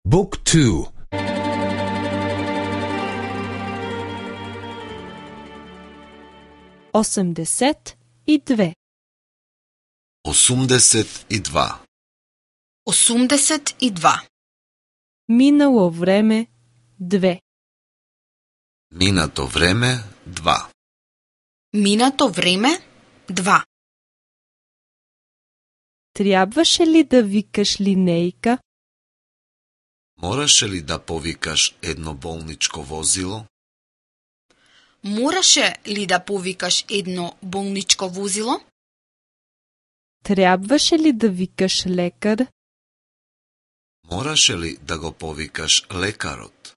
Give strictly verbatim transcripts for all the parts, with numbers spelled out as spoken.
Book two. осемдесет и две. осумдесет и два. осумдесет и два. Минало време две. Минато време два. Минато време два. Трябваше ли да викаш линейка? Мораше ли да повикаш едно болничко возило? Мораше ли да повикаш едно болничко возило? Трябваше ли да викаш лекар? Мораше ли да го повикаш лекарот?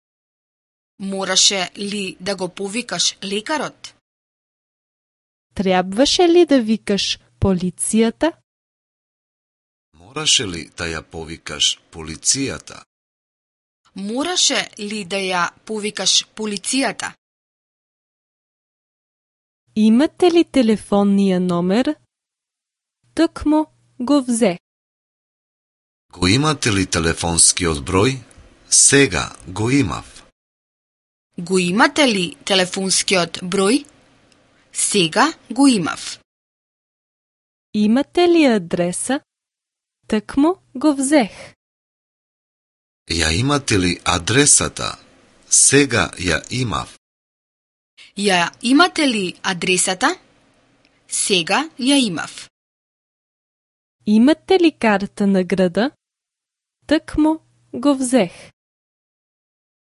Мораше ли да го повикаш лекарот? Трябваше ли да викаш полицијата? Мораше ли да ја повикаш полицијата? Мораше ли да ја повикаш полицијата? Имате ли телефонниот номер? Тъкмо го взе. Го имате ли телефонскиот број? Сега го имав. Го имате ли телефонскиот број? Сега го имав. Имате ли адреса? Тъкмо го взех. Ја имате ли адресата? Сега ја имав. Ја имате ли адресата? Сега ја имав. Имате ли карта на града? Тъкмо го взех.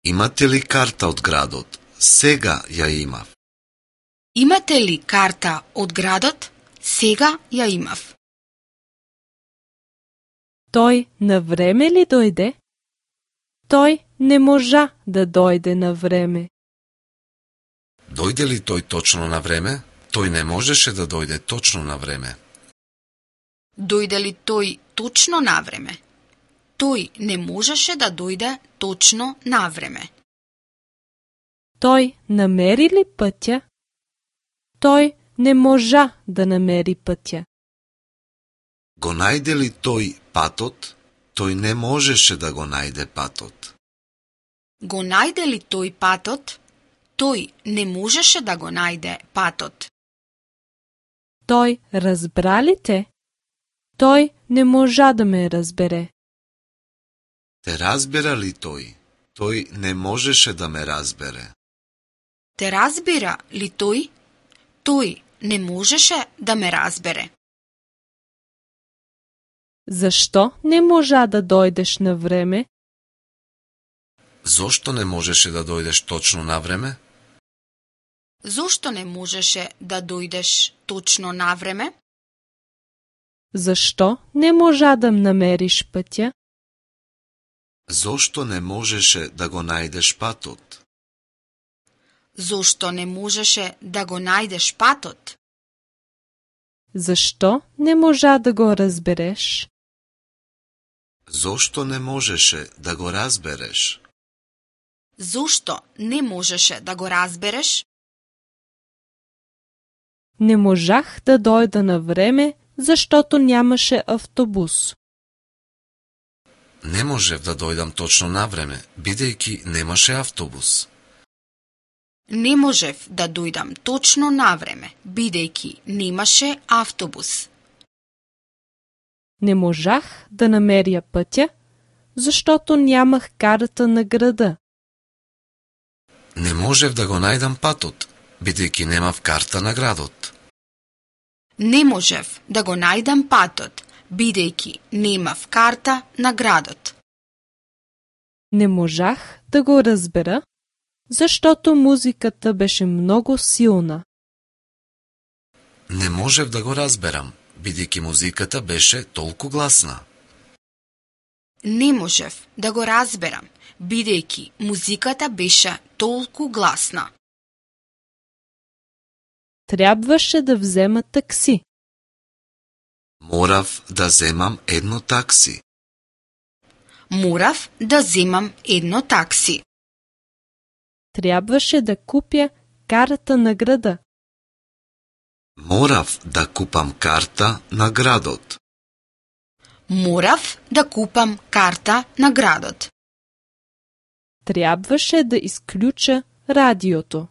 Имате ли карта од градот? Сега ја имав. Имате ли карта од градот? Сега ја имав. Той на време ли дойде? Той не можа да дойде на време. Дојде ли тој точно на време? Тој не можеше да дојде точно на време. Дојде ли тој точно на време? Тој не можеше да дојде точно на време. Той намери ли пътя? Той не можа да намери пътя. Го најде ли тој патот? Тој не можеше да го најде патот. Го најде ли тој патот? Тој не можеше да го најде патот. Той разбра ли те? Той не можа да ме разбере. Те разбира ли тој? Тој не можеше да ме разбере. Те разбира ли тој? Тој не можеше да ме разбере. Защо не можа да дойдеш на време? Зошто не можеше да дојдеш точно на време? Зошто не можеше да дојдеш точно на време? Защо не можа да намериш пътя? Зошто не можеше да го најдеш патот? Зошто не можеше да го најдеш патот? Защо не можа да го разбереш? Зошто не можеше да го разбереш? Зошто не можеше да го разбереш? Не можах да дойда на време, защото нямаше автобус. Не можев да дојдам точно на време, бидејќи немаше автобус. Не можев да дојдам точно на време, бидејќи немаше автобус. Не можах да намеря пътя, защото нямах карта на града. Не можев да го најдам патот, бидејќи немав карта на градот. Не можев да го најдам патот, бидејќи немав карта на градот. Не можах да го разбера, защото музиката беше много силна. Не можев да го разберам, бидејќи музиката беше толку гласна. Не можев да го разберам, бидејќи музиката беше толку гласна. Трябваше да взема такси. Морав да земам едно такси. Морав да земам едно такси. Трябваше да купя карта на града. Морав да купам карта на градот. Морав да купам карта на градот. требаше да исклуча радиото.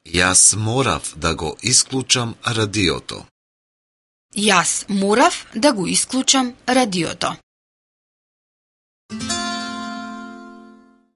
Јас морав да го исклучам радиото. Јас морав да го исклучам радиото.